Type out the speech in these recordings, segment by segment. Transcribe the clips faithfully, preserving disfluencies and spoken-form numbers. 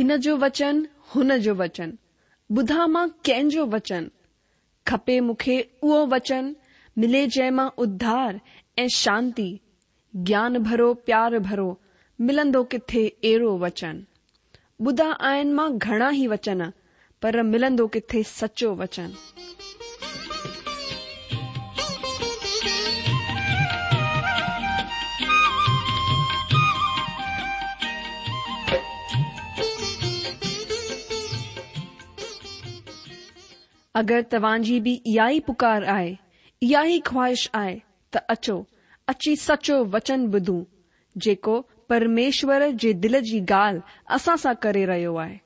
हिन जो वचन, हुन जो वचन, ॿुधां मां कंहिंजो वचन? खपे मूंखे उहो वचन, मिले जंहिं मां उद्धार ऐं शांती, ज्ञान भरो प्यार भरो, मिलंदो किथे अहिड़ो वचन? ॿुधा आहिनि मां घणा ई वचन, पर मिलंदो किथे सचो वचन? अगरि तव्हांजी बि इहा ई पुकार आहे, इहा ई ख़्वाहिश आहे त अचो, अची सचो वचन ॿुधूं, जेको परमेश्वर जे दिलि जी ॻाल्हि असां सां करे रहियो आहे।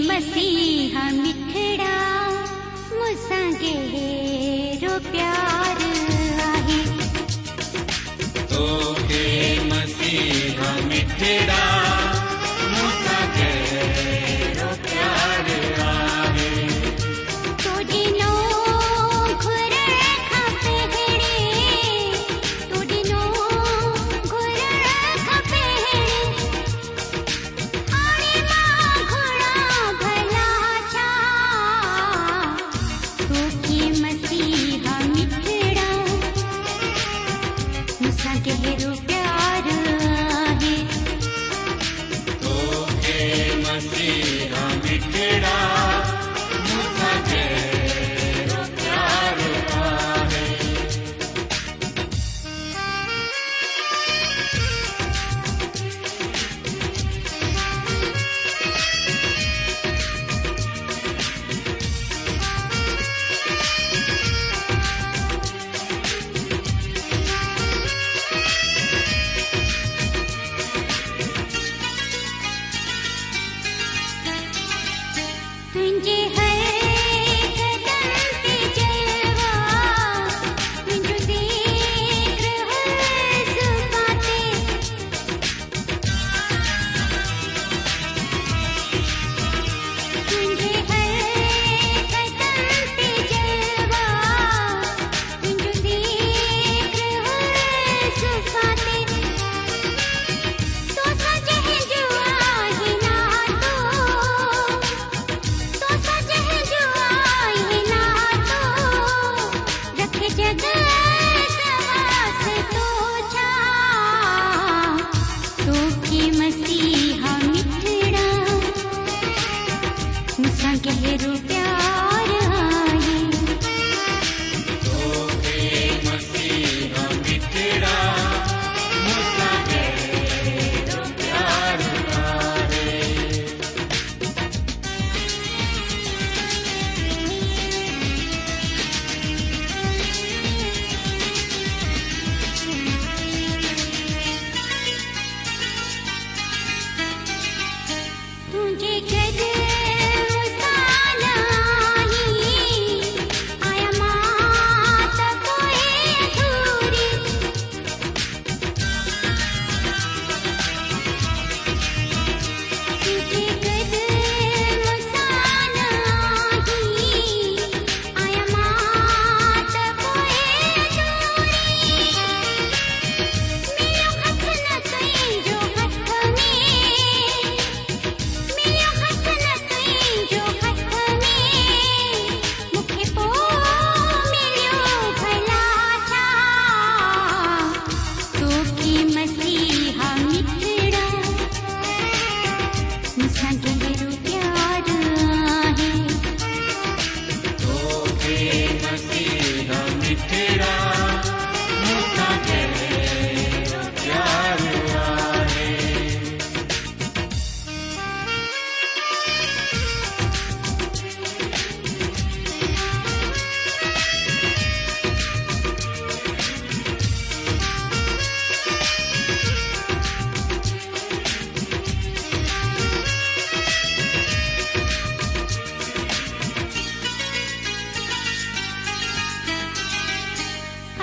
मसीहा मिठड़ा मूंसां गहिरो प्यार आहे। तोखे मसीहा मिठड़ा मूंसां गहिरो प्यार आहे। तो ॾिनो घुरण खां पहिरें, तो ॾिनो घुरण खां पहिरें, हाणे मां घुरां भला छा। तोखे मसीहा मिठड़ा मूंसां गहिरो प्यार आहे।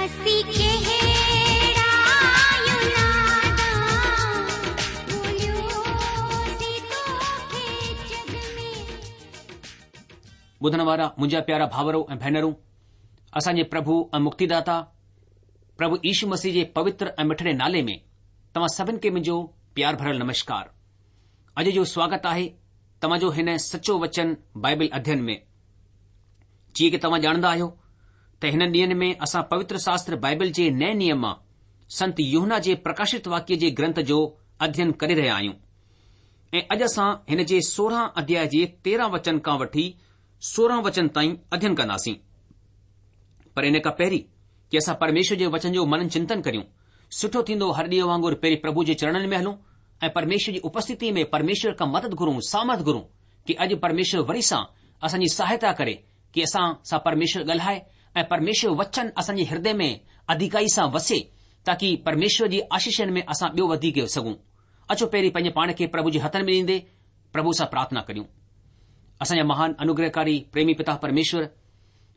असीं कहिड़ा आहियूं नादान, ॻोल्हियोसीं तोखे जग में। ॿुधण वारा मुंहिंजा प्यारा भाउरो ऐं भेनरूं, असांजे प्रभु ऐं मुक्तिदाता प्रभु यीशु मसीह जे पवित्र ऐं मिठड़े नाले में तव्हां सभिनि खे मुंहिंजो प्यार भरियल नमस्कार। अॼु जो स्वागत आहे तव्हांजो हिन सचो वचन बाइबल अध्ययन में। जीअं की तव्हां ॼाणंदा आहियो त हिननि ॾींहंनि में असां पवित्र शास्त्र बाइबल जे नए नियम मां संत यूहन्ना जे प्रकाशित वाक्य जे ग्रंथ जो अध्ययन करे रहिया आहियूं ऐं अॼु असां हिन जे सोरहं अध्याय जे तेरहं वचन खां वठी सोरहं वचन ताईं अध्ययन कंदासीं। पर इन खां पहिरीं की असां परमेश्वर जे वचन जो मनन चिंतन करियूं, सुठो थींदो हर ॾींहं वांगुरु पहिरीं प्रभु जे चरणनि में हलूं ऐं परमेश्वर जी उपस्थिति में परमेश्वर खां मदद घुरूं, सामर्थ घुरूं की अॼु परमेश्वर वरी सां असांजी सहायता करे की असां सां परमेश्वर ॻाल्हाए ऐं परमेश्वर वचन असांजे हृदय में अधिकाई सां वसे, ताकी परमेश्वर जी आशीषनि में असां ॿियो वधीक सघूं। अचो पहिरीं पंहिंजे पाण खे प्रभु जे हथनि में ॾींदे प्रभु सां प्रार्थना करियूं। असांजा महान अनुग्रहकारी प्रेमी पिता परमेश्वर,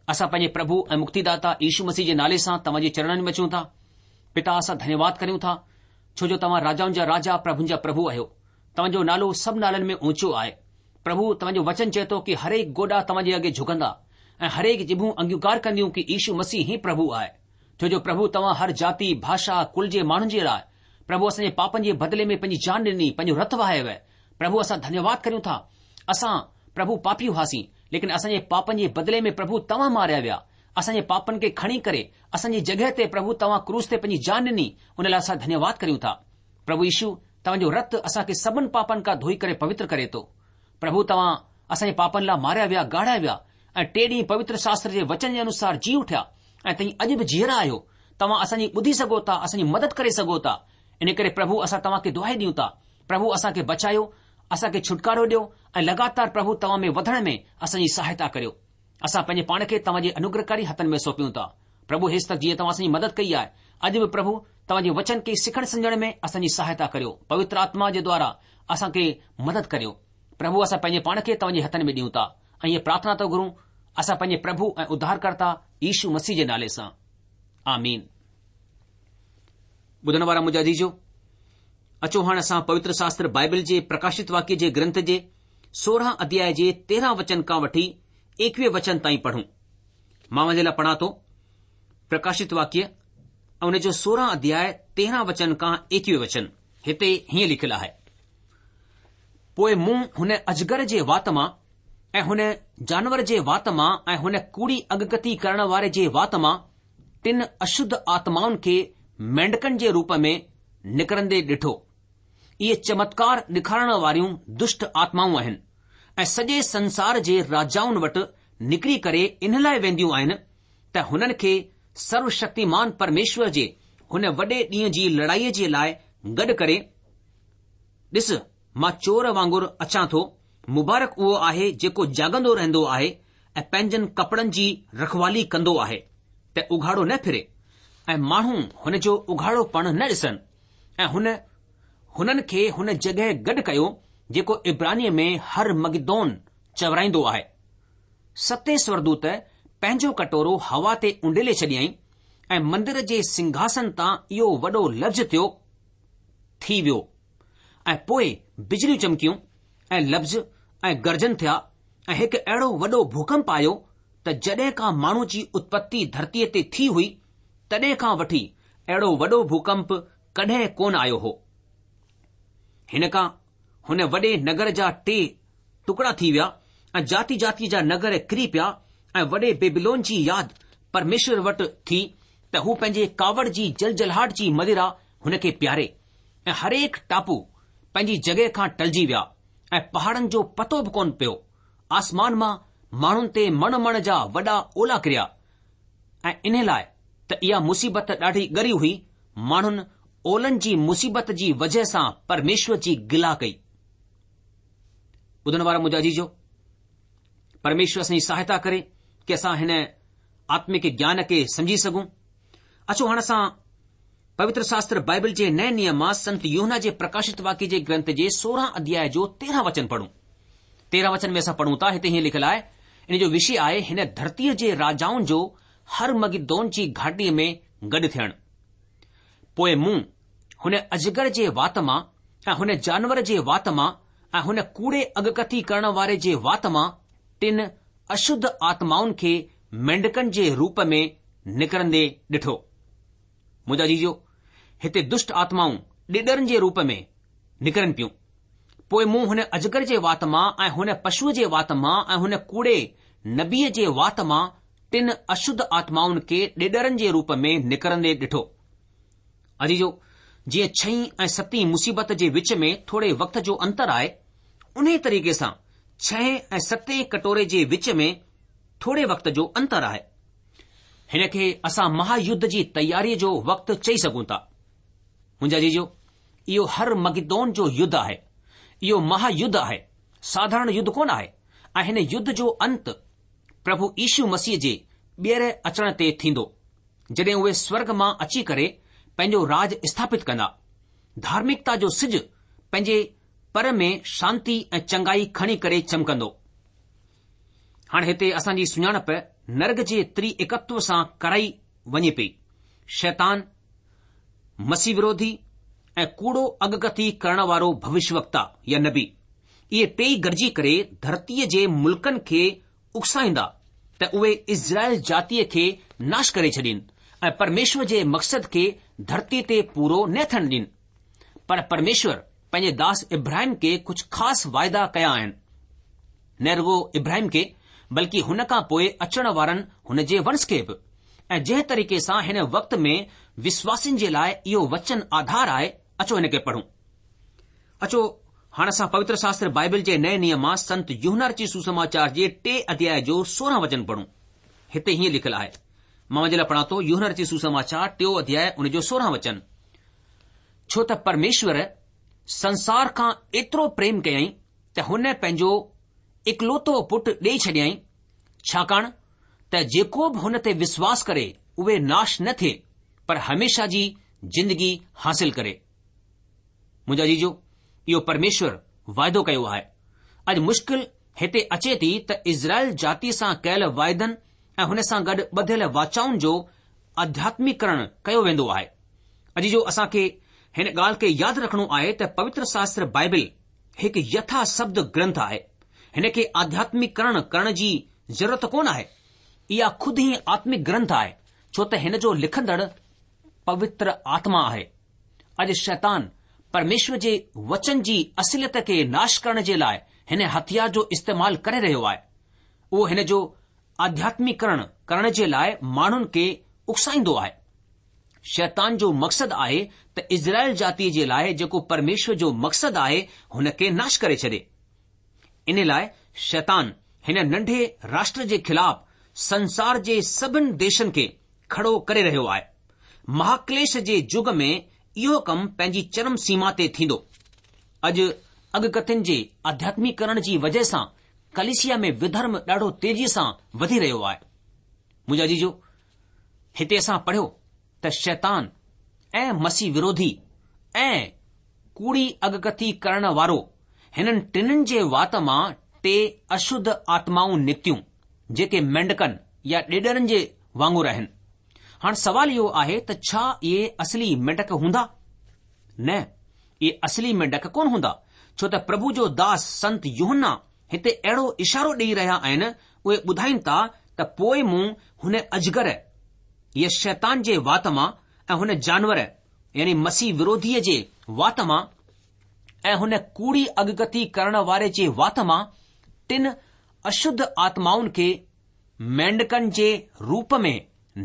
असां पंहिंजे प्रभु ऐं मुक्तिदाता यीशु मसीह जे नाले सां तव्हांजे चरणनि में अचूं था। पिता, असां धन्यवाद करियूं था छो जो तव्हां राजाउनि जा राजा, प्रभुनि जा प्रभु आहियो। तव्हांजो नालो सभु नालनि में ऊंचो आहे। प्रभु, तव्हांजो वचन चए थो की हरेक गोॾा तव्हांजे अॻे झुकंदा ऐं हरेक जिभूं अंगीकार कंदियूं की यीशु मसीह ई प्रभु आहे। छो जो प्रभु तव्हां हर जाति, भाषा, कुल जे माण्हुनि जे लाइ प्रभु असांजे पापनि जे बदिले में पंहिंजी जान ॾिनी, पंहिंजो रत वहायो। प्रभु, असां धन्यवाद करियूं था। असां प्रभु पापी हुआसीं, लेकिन असांजे पापनि जे बदिले में प्रभु तव्हां मारिया विया। असांजे पापनि खे खणी करे असांजी जॻह ते प्रभु तव्हां क्रूस ते पंहिंजी जान ॾिनी, उन लाइ असां धन्यवाद करियूं था। प्रभु यीशु, तव्हांजो रत असांखे सभिनि पापनि खां धोई करे पवित्र करे थो। प्रभु, तव्हां असांजे पापनि लाइ मारिया विया, गाढ़िया विया ऐं टे ॾींहुं पवित्र शास्त्र जे वचन जे अनुसार जी उथिया ऐं तव्हीं अॼु बि जीअरा आहियो। तव्हां असांजी ॿुधी सघो था, असांजी मदद करे सघो था। इन करे प्रभु असां तव्हांखे दुआई ॾियूं था। प्रभु, असांखे बचायो, असांखे छुटकारो ॾियो ऐं लगातार प्रभु तव्हां में वधण में असांजी सहायता करियो। असां पंहिंजे पाण खे तव्हांजे अनुग्रहकारी हथनि में सौंपियूं था। प्रभु, हेसि तक जीअं तव्हां असांजी मदद कई आहे, अॼु बि प्रभु तव्हांजे वचन खे सिखण सम्झण में असांजी सहायता करियो। पवित्र आत्मा जे द्वारा असांखे मदद करियो। प्रभु, असां पंहिंजे पाण खे तव्हांजे हथनि में ॾियूं था ऐं इहा प्रार्थना था घुरूं असां पंहिंजे प्रभु ऐं उद्धारकर्ता यीशु मसीह जे नाले सां, आमीन। ॿुधण वारा मुंहिंजा अज़ीज़ो, अचो हाणे असां पवित्र शास्त्र बाइबल जे प्रकाशित वाक्य जे ग्रंथ जे सोरहं अध्याय जे तेरहं वचन खां वठी एकवीह वचन ताईं पढ़ूं। मां मुंहिंजे लाइ पढ़ां थो प्रकाशित वाक्य ऐं उन जो सोरहं अध्याय तेरहं वचन खां एकवीह वचन। हिते हीअं लिखियलु आहे, पोइ मूं हुन अजगर जे वात मां ऐं हुन जानवर जे वात मां ऐं हुन कूड़ी अॻकथी करण वारे जे वात मां टिनि अशुद्ध आत्माउनि खे मेंढकनि जे रूप में निकिरंदे ॾिठो। इहे चमत्कार ॾेखारण वारियूं दुष्ट आत्माऊं आहिनि ऐं सॼे संसार जे राजाउनि वटि निकिरी करे इन लाइ वेंदियूं आहिनि त हुननि खे सर्वशक्तिमान परमेश्वर जे हुन वॾे ॾींहं जी लड़ाईअ जे लाइ गॾु करे। ॾिस, मां चोर वांगुरु अचां थो। मुबारक उहो आहे जेको जाॻंदो रहंदो आहे ऐं पंहिंजनि कपिड़नि जी रखवाली कंदो आहे त उघाड़ो न फिरे ऐं माण्हू हुन जो उघाड़ोपणु न ॾिसनि। ऐं हुन हुननि खे हुन जॻह गॾु कयो जेको इब्रानीअ में हर मगिदोन चवराईंदो आहे। सतें स्वर्गदूत पंहिंजो कटोरो हवा ते उंडेले छॾियईं ऐं मंदिर जे सिंहासन तां इहो वॾो लफ़्ज़ थियो थी वियो ऐं पोइ बिजलियूं चमकियूं ऐं लफ़्ज़ ऐं गर्जन थिया ऐं हिकु अहिड़ो वॾो भूकंप आयो त जॾहिं खां माण्हू जी उत्पत्ति धरतीअ ते थी हुई तॾहिं खां वठी अहिड़ो वॾो भूकंप कॾहिं कोन आयो हो। हिन खां हुन वॾे नगर जा टे टुकड़ा थी विया ऐं जाति जाति जा नगर किरी पिया ऐं वॾे बेबीलोन जी यादि परमेश्वर वटि थी त हू पंहिंजे कावड़ जी जलजलाहट जी मदिरा हुनखे पीआरे ऐं हरेक टापू पंहिंजी जॻह खां टलजी विया ऐं पहाड़नि जो पतो बि कोन पियो। आसमान मां माण्हुनि ते मण मण जा वॾा ओला किरिया ऐं इन लाइ त इहा मुसीबत ॾाढी ॻरी हुई। माण्हुनि ओलनि जी मुसीबत जी वजह सां परमेश्वर जी गिला कई। ॿुधण वारा मुंहिंजा अज़ीज़ो, परमेश्वर असांजी सहायता करे की असां हिन आत्मिक ज्ञान खे सम्झी सघूं। अचो हाणे असां पवित्र शास्त्र बाइबल जे नए नियम मां संत यूहन्ना जे प्रकाशित वाक्य जे ग्रंथ जे सोरहं अध्याय जो तेरहं वचन पढ़ूं। तेरहं वचन में असां पढ़ूं था, हिते हीअं लिखियलु आहे, इन जो विषय आहे हिन धरतीअ जे राजाउनि जो हर मगिदोन जी घाटीअ में گڏ ٿيڻ. پوء مون هن اجگر جي وات مان ۽ هن جانور جي وات مان ۽ هن ڪوڙي اڳڪٿي ڪرڻ واري جي وات مان ٽن اشڌ آتمائن کي مينڍڪن جي روپ ۾ نڪرندي ڏٺو. منهنجا عزيزو، هتي دشٽ آتمائون ڏيڏرن جي روپ ۾ نڪرن پيون. پوء مون هن اجگر جي وات مان ۽ هن پشوء جي وات مان ۽ هن ڪوڙي نبيء جي وات مان ٽن اشڌ آتمائن کي ڏيڏرن جي روپ ۾ نڪرندي ڏٺو. عزيزو، جيئن ڇهين ۽ ستين مصيبت جي وچ ۾ ٿوري وقت جو انتر آهي، انهيء طريقي سان ڇهين ۽ ستين ڪٽوري جي وچ ۾ ٿوري وقت جو انتر آهي. هن کي اسان مها يڌ جي تياريء جو وقت چئي سگهون ٿا. منهنجا عزيزو، اهو هر مگدون جو يڌ آهي. اهو مها يڌ آهي، ساڌارڻ يڌ ڪونه آهي ۽ هن يڌ جو انت پرڀو يشو مسيح جي ٻيهر اچڻ تي ٿيندو، جڏهن اهي سورڳ مان اچي ڪري پنهنجو راج اسٿاپت ڪندا. ڌارمڪتا جو سج پنهنجي پر ۾ شانتي ۽ چنگائي کڻي ڪري چمڪندو. هاڻي هتي اسان جي سڃاڻپ نرڳ جي تري ايڪتو سان ڪرائي وڃي پئي. شيطان، مسيح وروڌي ۽ ڪوڙو اڳڪٿي ڪرڻ وارو ڀوشيوڪتا يا نبي، اهي ٽيئي گڏجي ڪري ڌرتيء جي ملڪن کي اڪسائيندا ته اهي اسرائيل جاتيء کي ناش ڪري ڇڏين ۽ پرميشور جي مقصد کي ڌرتيء تي پورو نه ٿيڻ ڏين. پر پرميشور پنهنجي داس ابراهيم کي ڪجهه خاص واعدا ڪيا آهن. نه رڳو ابراهيم کي بلڪه هن کان پوء اچڻ وارن هن جي ونش کي به. ۽ جنهن طريقي سان هن وقت ۾ وشواسين جي لاء اهو وچن آڌار آهي، اچو هن کي پڙهون. اچو هاڻ اسان پوتر شاستر بائبل جي نئين نيم مان سنت يوحنا رچت سوسماچار جي ٽي اڌياء جو سورهن وچن پڙهون. هتي هيئن لکيل آهي. مان اوهان جي لاء پڙهان ٿو يوحنا رچت سوسماچار ٽيون اڌياء ان جو سورهن وچن. ڇو ته پرميشور سنسار کان ايترو پريم ڪيائين ته هن پنهنجو اڪلوتو پٽ ڏيئي ڇڏيائين، ڇاڪاڻ ته جيڪو به هن تي وشواس ڪري اهي ناش نه ٿئي پر هميشه جي زندگي حاصل ڪري. منهنجا عزيزو، اهو پرميشور واعدو ڪيو آهي. اڄ مشڪل هتي اچي ٿي ته اسرائيل جاتي سان ڪيل واعدن ۽ هن سان گڏ ٻڌيل واچائن جو آڌياتميڪرڻ ڪيو ويندو آهي. عزيزو، اسان کي هن ڳالهه کي ياد رکڻو آهي ته پوتر شاستر بائبل هڪ يٿا شبد گرنٿ آهي. هن کي آڌياتميڪرڻ ڪرڻ جي ضرورت ڪونه آهي. اها خود ئي آتمڪ گرنٿ آهي، ڇو ته هن جو لکندڙ پوتر آتما آهي. اڄ شيطان پرميشور جي وچن جي اصليت کي ناش ڪرڻ جي لاء هن هٿيار جو استعمال ڪري رهيو آهي. اهو هن جو آڌياتميڪرڻ ڪرڻ جي لاء ماڻهن کي اڪسائيندو آهي. شيطان جو مقصد آهي ته اسرائيل جاتيء جي لاء جيڪو پرميشور جو مقصد آهي هن کي ناش ڪري ڇڏي. ان لاء شيطان هن ننڍي راشٽر جي خلاف سنسار جي سڀن ديشن کي کڙو ڪري رهيو آهي. مهاڪليش جي يگ ۾ اهو ڪم پنهنجي چرم سيما تي ٿيندو. اڄ اڳڪٿين جي آڌياتميڪرڻ جي وجهه سان ڪليسيا ۾ وڌرم ڏاڍو تيزيء سان وڌي رهيو آهي. منهنجا عزيزو، هتي اسان پڙهيو ته شيطان ۽ مسيح وروڌي ۽ ڪوڙي اڳڪٿي ڪرڻ وارو هنن ٽنهن جي وات مان ٽي اشڌ آتمائون نڪتيون جيڪي مينڍڪن يا ڏيڏرن جي وانگر آهن. هاڻ سوال اهو آهي ته ڇا اهي اصلي مينڍڪ هوندا؟ نه، اهي اصلي مينڍڪ ڪونه هوندا، ڇو ته پرڀو جو داس سنت يوحنا هتي اهڙو اشارو ڏيئي رهيا آهن، اهي ٻڌائين ٿا ته پوء مون هن اجگر يا شيطان جي وات مان ۽ هن جانور يعني مسيح وروڌيء جي وات مان ۽ هن ڪوڙي اڳڪٿي ڪرڻ واري جي وات مان ٽن اشڌ آتمائن کي مينڍڪن جي روپ ۾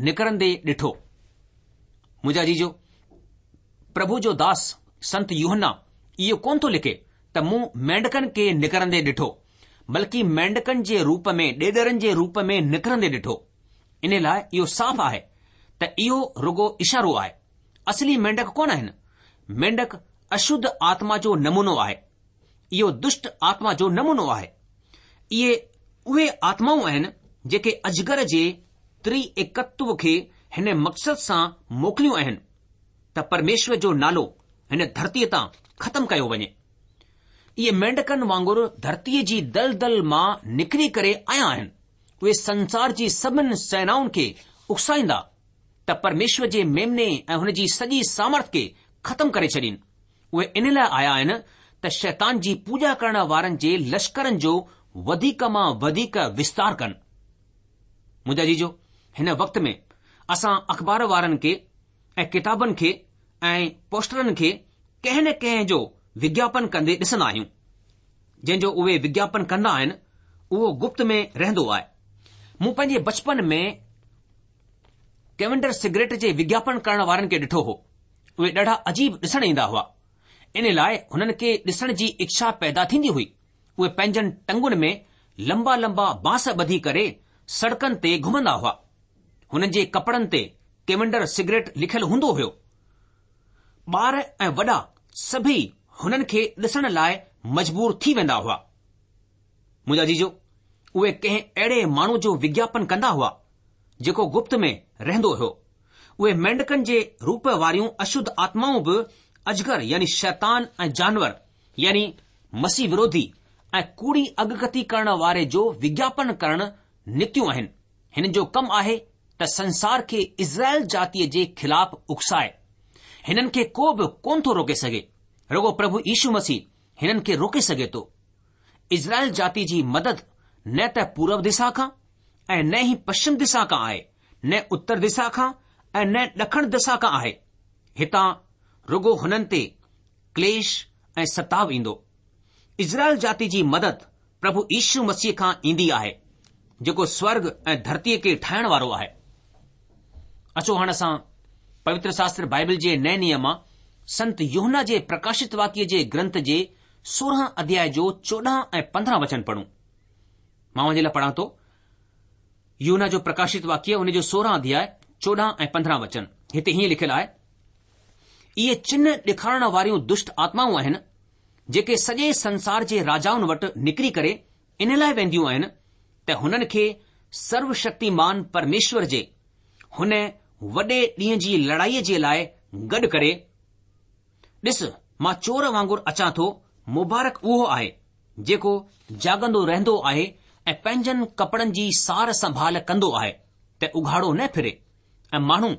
نڪرندي ڏٺو. منهنجا عزيزو، پرڀو جو داس سنت يوحنا اهو ڪونه ٿو لکي ته مون مينڍڪن کي نڪرندي ڏٺو، بلڪه مينڍڪن جي روپ ۾ ڏيڏرن جي روپ ۾ نڪرندي ڏٺو. ان لاء اهو صاف آهي ته اهو رڳو اشارو آهي. اصلي مينڍڪ ڪونه آهن. مينڍڪ اشڌ آتما جو نمونو آهي. اهو دشٽ آتما جو نمونو آهي. اهي اهي آتمائون آهن جيڪي اجگر جي تري ايڪتو کي هن مقصد سان موڪليون آهن ته پرميشور جو نالو هن ڌرتيء تان ختم ڪيو وڃي. اهي مينڍڪن وانگر ڌرتيء جي دلدل مان نڪري ڪري آيا آهن. اهي سنسار جي سڀن سينائن کي اڪسائيندا ته ته پرميشور جي ميمني ۽ هن جي سڄي سامرٿ کي ختم ڪري ڇڏين. اهي ان لاء آيا آهن ته شيطان جي پوڄا ڪرڻ وارن جي لشڪرن جو وڌيڪ مان وڌيڪ وستار ڪن. منهنجا عزيزو، هن وقت ۾ اسان اخبار وارن کي ۽ ڪتابن کي ۽ پوسٽرن کي ڪنهن نه ڪنهن جو وگياپن ڪندي ڏسندا آهيون. جنهن جو اهي وگياپن ڪندا آهن اهو گپت ۾ رهندو آهي. مون پنهنجي بچپن ۾ ڪيونڊر سگريٽ جي وگياپن ڪرڻ وارن کي ڏٺو هو. اهي ڏاڍا عجيب ڏسڻ ايندا هئا. ان لاء هنن کي ڏسڻ جي اڇا پيدا ٿيندي هئي. اهي پنهنجن ٽنگن ۾ لمبا لمبا بانس ٻڌي ڪري سڙڪن تي گهمندا هئا. هنن جي ڪپڙن تي ڪيونڊر سگريٽ لکيل هوندو هيو. ٻار ۽ وڏا سڀئي هنن کي ڏسڻ لاء مجبور ٿي ويندا هئا. منهنجا عزيزو، اهي ڪنهن اهڙي ماڻهو جو وگياپن ڪندا هئا، جيڪو گپت ۾ رهندو هيو. اهي مينڍڪن جي روپ واريون اشڌ آتمائون به اجگر يعني شيطان ۽ جانور يعني مسيح وروڌي ۽ ڪوڙي اڳڪٿي ڪرڻ واري جو وگياپن ڪرڻ نڪتيون آهن. هنن جو ڪم آهي ته سنسار کي اسرائيل جاتيء جي خلاف اڪسائي. هنن کي ڪو به ڪونه ٿو روڪي سگهي. رڳو پرڀو يشو مسيح هنن کي روڪي سگهي ٿو. اسرائيل جاتي جي مدد نه ته پورب دسا کان ۽ نه ئي پشچم دسا کان آهي، نه اتر دسا کان ۽ نه ڏکڻ دسا کان آهي. هتان رڳو هنن تي ڪليش ۽ ستاء ايندو. اسرائيل جاتي جي مدد پرڀو يشو مسيح کان ايندي آهي، جيڪو سورگ ۽ ڌرتيء کي ٺاهڻ وارو آهي. اچو هاڻ اسان پوتر شاستر بائبل جي نئين نيم مان سنت يوحنا جي پرڪاشت واڪيه جي گرنٿ جي سورهن اڌياء جو چوڏهن ۽ پندرهن وچن پڙهون. مان اوهان جي لاء پڙهان ٿو. يوحنا جو پرڪاشت واڪيه ان جو سورهن اڌياء چوڏهن ۽ پندرهن وچن. هتي هيئن لکيل آهي، اهي چنه ڏيکارڻ واريون دشٽ آتمائون آهن، جيڪي سڄي سنسار جي راجائن وٽ نڪري ڪري ان لاء وينديون آهن ته هنن کي سروشڪتيمان پرميشور جي هن وڏي ڏينهن جي لڙائيء جي لاء گڏ ڪري. ڏس، مان چور وانگر اچان ٿو، مبارڪ اهو آهي، جيڪو جاڳندو رهندو آهي ۽ پنهنجن ڪپڙن جي سار سنڀال ڪندو آهي ته اگهاڙو نه ڦري ۽ ماڻهو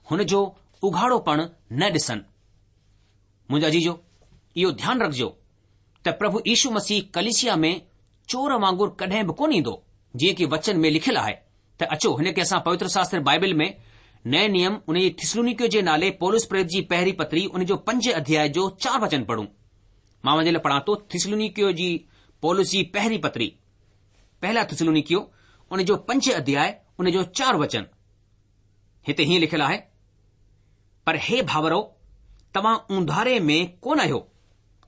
هن جو اگهاڙوپڻ نه ڏسن. منهنجا عزيزو، اهو ڌيان رکجو ته پرڀو يشو مسيح ڪليسيا ۾ چور وانگر ڪڏهن به ڪونه ايندو، جيئن ڪي وچن ۾ لکيل آهي ته اچو هن کي اسان پوتر شاستر بائبل ۾ نئين نيم ان جي ٿسلونيڪيو جي نالي پولس پريرت جي پهرين پتري ان جو پنج اڌياء جو چار وچن پڙهون. مان اوهان جي لاء پڙهان ٿو ٿسلونيڪيو جي پولس جي پهرين پتري، پهلا ٿسلونيڪيو ان جو پنج اڌياء ان جو چار وچن. هتي هيئن لکيل آهي، پر هي ڀائرؤ، توهان اونڌاري ۾ ڪونه آهيو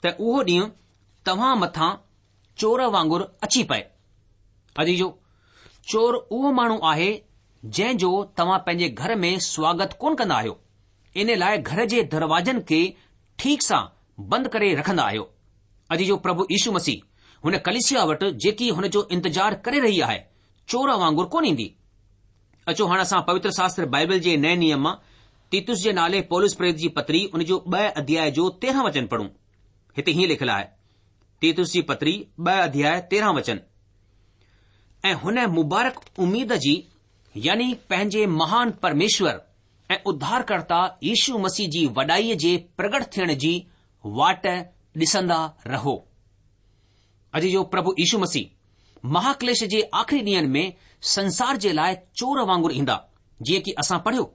ته اهو ڏينهن توهان مٿان چور وانگر اچي پئي. عزيزو، چور اهو ماڻهو آهي جنهن جو توهان پنهنجي گهر ۾ سواگت ڪونه ڪندا آهيو، ان لاء گهر جي دروازن کي ٺيڪ سان بند ڪري رکندا آهيو. عزيزو، پرڀو يشو مسيح هن ڪليسيا وٽ جيڪي هن جو انتظار ڪري رهي آهي، چور وانگر ڪونه ايندي. اچو هاڻ اسان پوتر شاستر بائبل جي نئين نيم مان تيتس جي نالي پولس پريرت جي پتري ان جو ٻه اڌياء جو تيرهن وچن پڙهون. هتي هيئن لکيل آهي، تيتس جي پتري ٻه اڌياء تيرهن وچن، ۽ هن مبارڪ اميد جي يعني پنهنجي مهان پرميشور ۽ اڌارڪرتا يشو مسيح جي وڏائيء جي پرگٽ ٿيڻ جي واٽ ڏسندا رهو. عزيزو، پرڀو يشو مسيح مهاڪليش جي آخري ڏينهن ۾ سنسار جي لاء چور وانگر ايندا، جيئن ڪي اسان پڙهيو.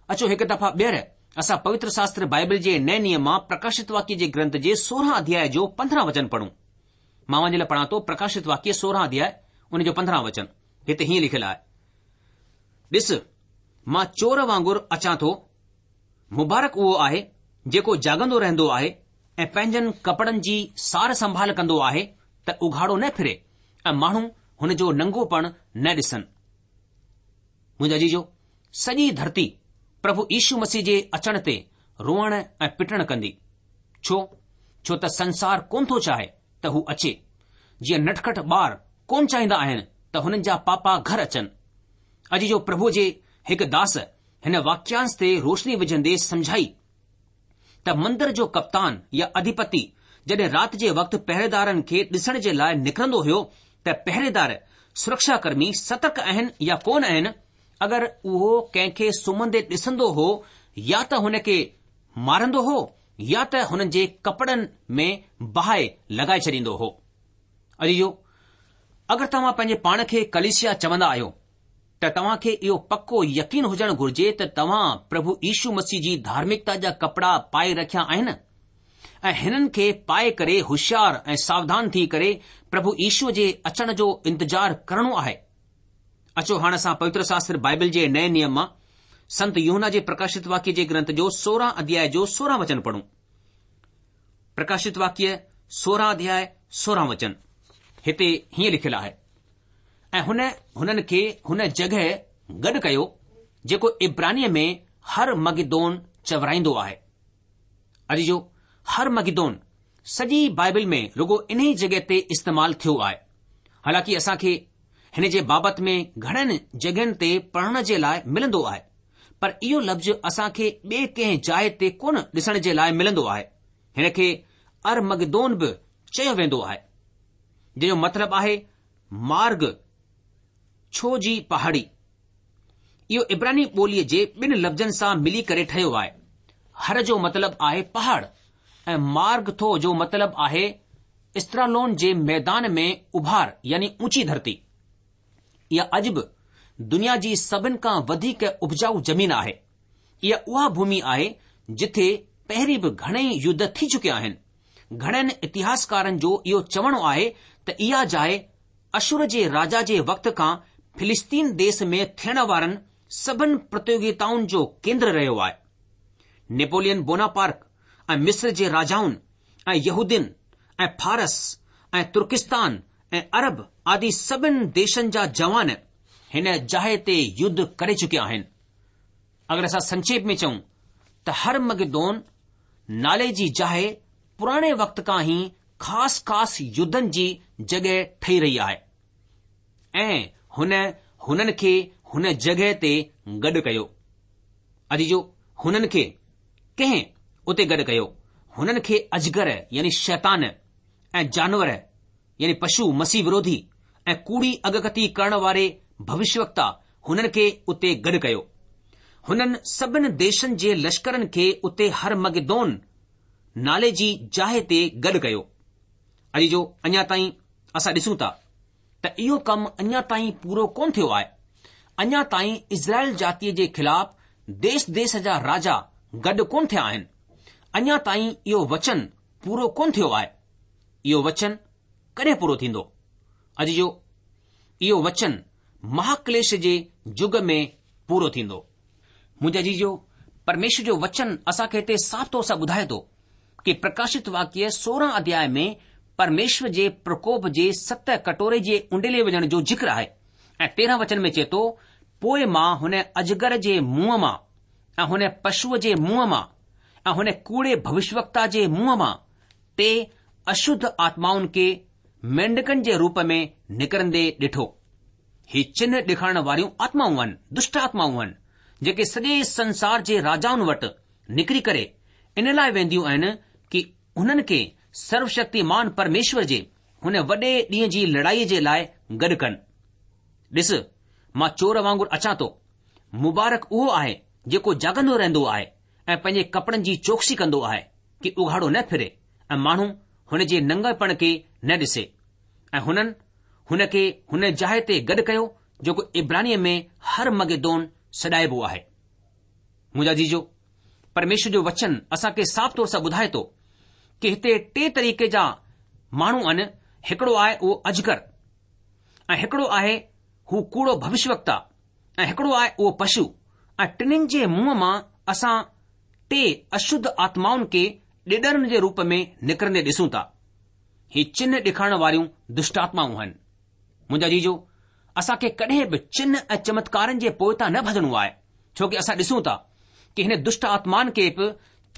اچو هڪ دفعا ٻيهر اسان پوتر شاستر بائبل جي نئين نيم مان پرڪاشت واڪيه جي گرنٿ جي سورهن اڌياء جو پندرهن وچن پڙهون. مان اوهان جي لاء پڙهان ٿو پرڪاشت واڪيه سورهن اڌياء ان جو پندرهن وچن. هتي هيئن لکيل آهي، ڏس، مان چور وانگر اچان ٿو، مبارڪ اهو آهي جيڪو جاڳندو رهندو آهي ۽ پنهنجن ڪپڙن جي سار سنڀال ڪندو آهي ته اگهاڙو نه ڦري ۽ ماڻهو هن جو ننگوپڻ نه ڏسن. منهنجا عزيزو، سڄي ڌرتي پرڀو يشو مسيح جي اچڻ تي روئڻ ۽ پٽڻ ڪندي. ڇو؟ ڇو ته سنسار ڪونه ٿو چاهي ته هو اچي. جيئن نٽکٽ ٻار ڪونه چاهيندا آهن ته هنن جا پاپا گهر اچن. عزيزو، پرڀو جي هڪ داس هن واڪيانش تي روشني وجهندي سمجهائي ته مندر جو ڪپتان يا اڌيپتي جڏهن رات جي وقت پهريدارن کي ڏسڻ جي لاء نڪرندو هيو ته پهريدار، سرڪشا ڪرمي، سترڪ آهن يا ڪونه آهن اگر اهو ڪنهن کي سمهندي ڏسندو هو يا ته هن کي مارندو هو يا ته هنن جي ڪپڙن ۾ باهه لڳائي ڇڏيندو هو. عزيزو، اگر توهان پنهنجي پاڻ کي ڪليسيا چوندا آهيو ته توهان کي اهو پڪو يقين هجڻ گهرجي ته توهان پرڀو يشو مسيح جي ڌارمڪتا جا ڪپڙا پائي رکيا آهن ۽ هنن کي پائي ڪري هوشيار ۽ ساوڌان ٿي ڪري پرڀو يشو جي اچڻ جو انتظار ڪرڻو آهي. اچو هاڻ اسان پوتر شاستر بائبل جي نئين نيم مان سنت يوحنا جي پرڪاشت واڪيه جي گرنٿ جو سورهن اڌياء جو سورهن وچن پڙهون. پرڪاشت واڪيه سورهن اڌياء سورهن وچن هتي هيئن لکيل آهي، ۽ هن هنن کي هن جڳهه گڏ ڪيو جيڪو عبرانيء ۾ هر مگدون چورائيندو آهي. عزيزو، هر مگدون سڄي بائبل ۾ رڳو انهي جڳهه تي استعمال ٿيو آهي. حالانڪه اسان کي هن جي بابت ۾ گهڻن جڳهين تي پڙهڻ جي لاء ملندو آهي، پر اهو لفظ اسان کي ٻئي ڪنهن جاء تي ڪونه ڏسڻ جي لاء ملندو آهي. هن کي ارمگدون به چيو ويندو آهي، جنهن جو مطلب آهي مارگ ڇو جي پهاڙي. اهو عبراني ٻوليء جي ٻن لفظن سان ملي ڪري ٺهيو آهي. هر جو مطلب آهي پهاڙ ۽ مارگ ٿو جو مطلب آهي استرالون جي ميدان ۾ اڀار يعني اونچي ڌرتي. اها اڄ به دنيا جي سڀن کان وڌيڪ اپجائو زمين آهي. اها اها ڀومي آهي جٿي پهرين به گهڻئي يڌ ٿي چڪيا آهن. گهڻن اتهاسڪارن جو اهو چوڻ آهي ته اها جاء اشور جي راجا جي وقت کان فلسطين ديس ۾ ٿيڻ وارن سڀن پرتيوگتائن جو ڪيندر رهيو آهي. نيپولين بوناپارڪ ۽ مصر جي راجائن ۽ يهودين ۽ فارس ۽ ترڪستان ۽ عرب آدي سڀن ديشن جا جوان هن جاء تي يڌ ڪري چڪيا آهن. اگر اسان سنڪشيپ ۾ چئون ته هرمگدون نالي جي جاء پراڻي وقت کان ئي خاص خاص يڌن جي جڳهه ٺهي رهي آهي ۽ هن هنن کي هن جڳهه تي گڏ ڪيو. عزيزو هنن کي ڪنهن اتي گڏ ڪيو؟ هنن کي اجگر يعني شيطان ۽ جانور يعني پشو مسيح وروڌي ۽ ڪوڙي اڳڪٿي ڪرڻ واري ڀوشيوڪتا هنن کي اتي گڏ ڪيو. هنن سڀن ديشن جي لشڪرن کي اتي هرمگدون نالي جي جاء تي گڏ ڪيو. عزيزو اڃا تائين اسان ڏسون ٿا ته اهو ڪم اڃا تائين پورو ڪونه ٿيو آهي. اڃا تائين اسرائيل جاتيء جي خلاف ديس ديس جا راجا گڏ ڪونه ٿيا آهن. اڃا تائين اهو وچن پورو ڪونه ٿيو آهي. اهو وچن ڪڏهن پورو ٿيندو؟ عزيزو اهو وچن مهاڪليش جي يگ ۾ پورو ٿيندو. منهنجا عزيزو پرميشور جو وچن اسان کي هتي صاف طور سان ٻڌائي ٿو ڪي پرڪاشت واڪيه سورهن اڌياء ۾ پرميشور جي پرڪوپ جي ست ڪٽوري جي اونڊيلي وڃڻ جو ذڪر آهي ۽ تيرهن وچن ۾ چئي ٿو پوء مان هن اجگر جي منهن مان ۽ هن پشوء جي منهن مان ۽ هن ڪوڙي ڀوشيوڪتا جي منهن مان ٽي اشڌ آتمائن کي مينڍڪن جي روپ ۾ نڪرندي ڏٺو. هي چنهه ڏيکارڻ واريون آتمائون آهن، دشٽ آتمائون آهن، جيڪي سڄي سنسار جي راجائن وٽ نڪري ڪري ان لاء وينديون آهن ڪي هنن کي سروشڪتيمان پرميشور جي هن وڏي ڏينهن جي لڙائيء جي لاء گڏ ڪن. ڏس، مان چور وانگر اچان ٿو. مبارڪ اهو آهي جيڪو جاڳندو رهندو آهي ۽ پنهنجي ڪپڙن جي چوڪسي ڪندو آهي ڪي اگهاڙو نه ڦري ۽ ماڻهو هن جي ننگپڻ کي نه ڏسي. ۽ هنن هن کي هن جاء تي گڏ ڪيو جيڪو عبرانيء ۾ هرمگدون سڏائبو آهي. منهنجا عزيزو، پرميشور جو وچن اسان کي صاف طور سان ٻڌائي ٿو ڪي هتي ٽي طريقي جا ماڻهو آهن، هڪڙو آهي اهو اجگر ۽ هڪڙو آهي هو ڪوڙو ڀوشيوڪتا ۽ هڪڙو آهي اهو پشو ۽ ٽنهين جي منهن مان اسان ٽي اشڌ آتمائن کي ڏيڏرن جي روپ ۾ نڪرندي ڏسون ٿا. هي چنهه ڏيکارڻ واريون دشٽآتمائون آهن. منهنجا عزيزو، اسان کي ڪڏهن به چنهه ۽ چمتڪارن جي پوئتان نه ڀڄڻو آهي، ڇو ڪي اسان ڏسون ٿا ڪي هن دشٽ آتمائن کي به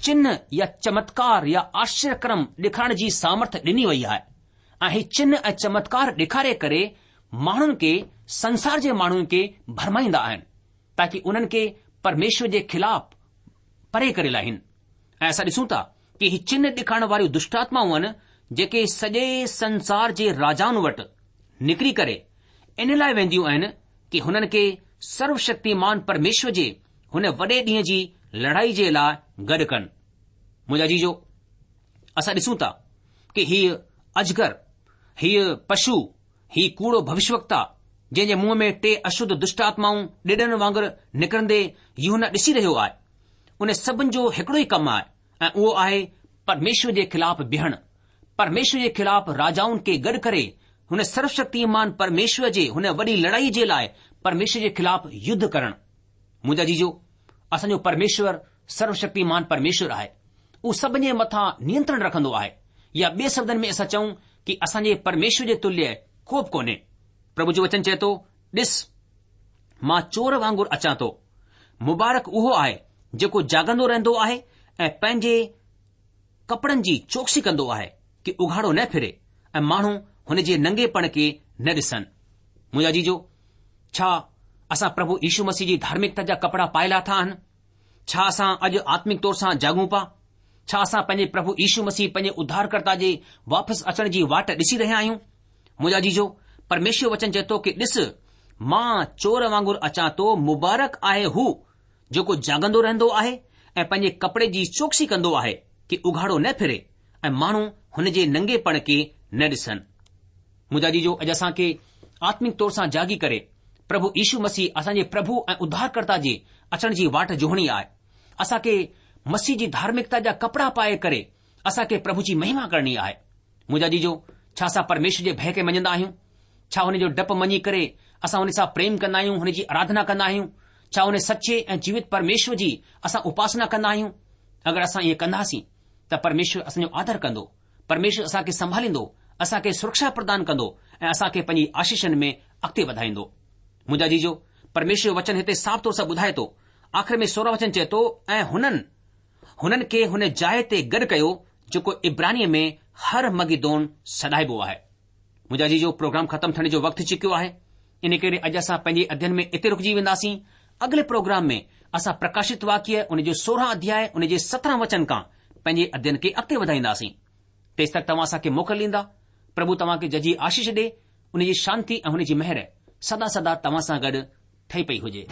چنهه يا چمتڪار يا آشچريه ڪرم ڏيکارڻ جي سامرٿ ڏني وئي آهي ۽ هي چنهه ۽ چمتڪار ڏيکاري ڪري ماڻهن کي سنسار جي ماڻهن کي ڀرمائيندا آهن تاڪي انهن کي پرميشور جي خلاف پري ڪري لاهين ۽ اسان ڏسون ٿا ڪي هي چنهه ڏيکارڻ واريون دشٽآتمائون آهن جيڪي سڄي سنسار جي راجائن وٽ نڪري ڪري ان لاء وينديون آهن ڪي هنن کي سروشڪتيمان پرميشور جي هن وڏي ڏينهن جي لڙائي جي لاءِ گڏ ڪن. منهنجا عزيزو، اسان ڏسون ٿا ڪه هيء اجگر، هيء پشو، هي ڪوڙو ڀوشيوڪتا جنهن جي منهن ۾ ٽي اشڌ دشٽ آتمائون ڏيڏرن وانگر نڪرندي يوحنا ڏسي رهيو آهي، ان سڀن جو هڪڙو ئي ڪم آهي ۽ اهو آهي پرميشور جي خلاف بيهڻ، پرميشور جي خلاف راجائن کي گڏ ڪري هن سروشڪتيمان پرميشور جي هن وڏي لڙائي جي لاءِ پرميشور جي خلاف يڌ ڪرڻ. منهنجا عزيزو، اسان جو پرميشور سروشڪتيمان پرميشور آهي. اهو سڀن جي مٿان نينترڻ رکندو آهي، يا ٻئي شبدن ۾ اسان چئون ڪه اسان جي پرميشور جي تليه ڪو به ڪونهي. پرڀو جو وچن چئي ٿو، ڏس مان چور وانگر اچان ٿو. مبارڪ اهو آهي جيڪو جاڳندو رهندو آهي ۽ پنهنجي ڪپڙن جي چوڪسي ڪندو آهي ڪه اگهاڙو نه ڦري ۽ ماڻهو هن جي ننگيپڻ کي نه ڏسن. منهنجا عزيزو، ڇا اسان پرڀو يشو مسيح جي ڌارمڪتا جا ڪپڙا پائي لاٿا آهن؟ ڇا اسان اڄ آتمڪ طور سان جاڳون پا؟ ڇا اسان پنهنجي پرڀو يشو مسيح پنهنجي اڌارڪرتا جي واپس اچڻ جي واٽ ڏسي رهيا آهيون؟ منهنجا عزيزو، پرميشور وچن چئي ٿو ڪه ڏس مان چور وانگر اچان ٿو، مبارڪ آهي هو جيڪو جاڳندو رهندو آهي ۽ پنهنجي ڪپڙي جي چوڪسي ڪندو آهي ڪه اگهاڙو نه ڦري ۽ ماڻهو هن جي ننگيپڻ کي نه ڏسن. منهنجا عزيزو، اڄ اسان کي آتمڪ طور سان جاڳي ڪري پرڀو يشو مسيح اسان جي پرڀو ۽ اڌارڪرتا جي اچڻ جي واٽ جوهڻي آهي. اسان کي مسيح جي ڌارمڪتا جا ڪپڙا پائي ڪري اسان کي پرڀو جي مهما ڪرڻي آهي. منهنجا عزيزو، ڇا اسان پرميشور جي ڀي کي مڃندا آهيون؟ ڇا هن جو ڊپ مڃي ڪري اسان هن سان پريم ڪندا آهيون، هن جي آراڌنا ڪندا آهيون؟ ڇا هن سچي ۽ جيوت پرميشور جي اسان اپاسنا ڪندا آهيون؟ اگر اسان ائين ڪنداسين ته پرميشور اسان جو آدر ڪندو، پرميشور اسان کي سنڀاليندو، اسان کي سرڪشا پردان ڪندو ۽ اسان کي پنهنجي آشيشن ۾ اڳتي وڌائيندو. منهنجا عزيزو، پرميشور جو وچن هتي صاف طور سان ٻڌائي ٿو. آخر ۾ سورهن وچن چئي ٿو، ۽ هنن هنن کي هن جاءِ تي گڏ ڪيو جيڪو عبرانيء ۾ هر مگدون سڏائبو آهي. منهنجا عزيزو، پروگرام ختم ٿيڻ جو وقت ٿي چڪيو آهي، ان ڪري اڄ اسان پنهنجي اڌين ۾ اتي رڪجي وينداسين. اڳلي پروگرام ۾ اسان پرڪاشت واڪيه ان جو سورهن اڌياء ان جي سترهن وچن کان پنهنجي اڌين کي اڳتي وڌائينداسين. تيس تڪ توهان اسان کي موڪل ڏيندا. پرڀو توهان کي ججهي آشيش ڏي. ان جي شانتي ۽ هن جي مهر سدا سدا توهان سان گڏ ٺهي پئي هجي.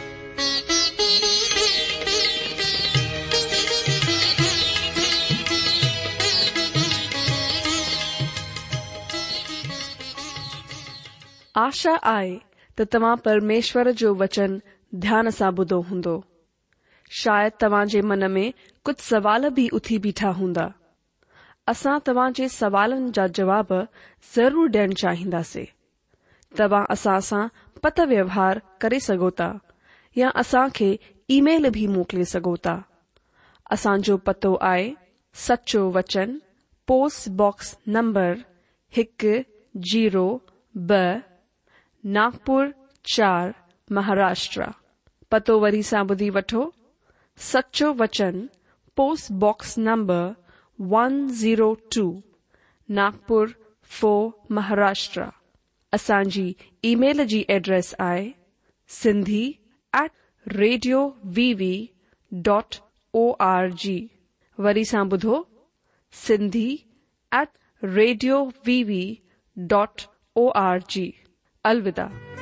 آشا آهي ته توهان پرميشور جو وچن ڌيان سان ٻڌو هوندو. شايد توهان جي من ۾ ڪجهه سوال به اٿي بيٺا هوندا. اسان توهان جي سوالن جا جواب ضرور ڏيڻ چاهينداسين. توهان اسان سان پتر ويوهار ڪري سگهو ٿا يا اسان کي اي ميل به موڪلي سگهو ٿا. اسان جو پتو آهي سچو وچن، پوسٽ باڪس نمبر هڪ زيرو ٻه، ناگپور چار، مهاراشٽر. پتو وري سان ٻڌي وٺو، سچو وچن، post box number one zero two, Nagpur four, Maharashtra. اسان جي اي ميل جي ايڊريس آهي Sindhi at radio V V dot O R G. وري سان ٻڌو، Sindhi at radio V V dot O R G. الوداع.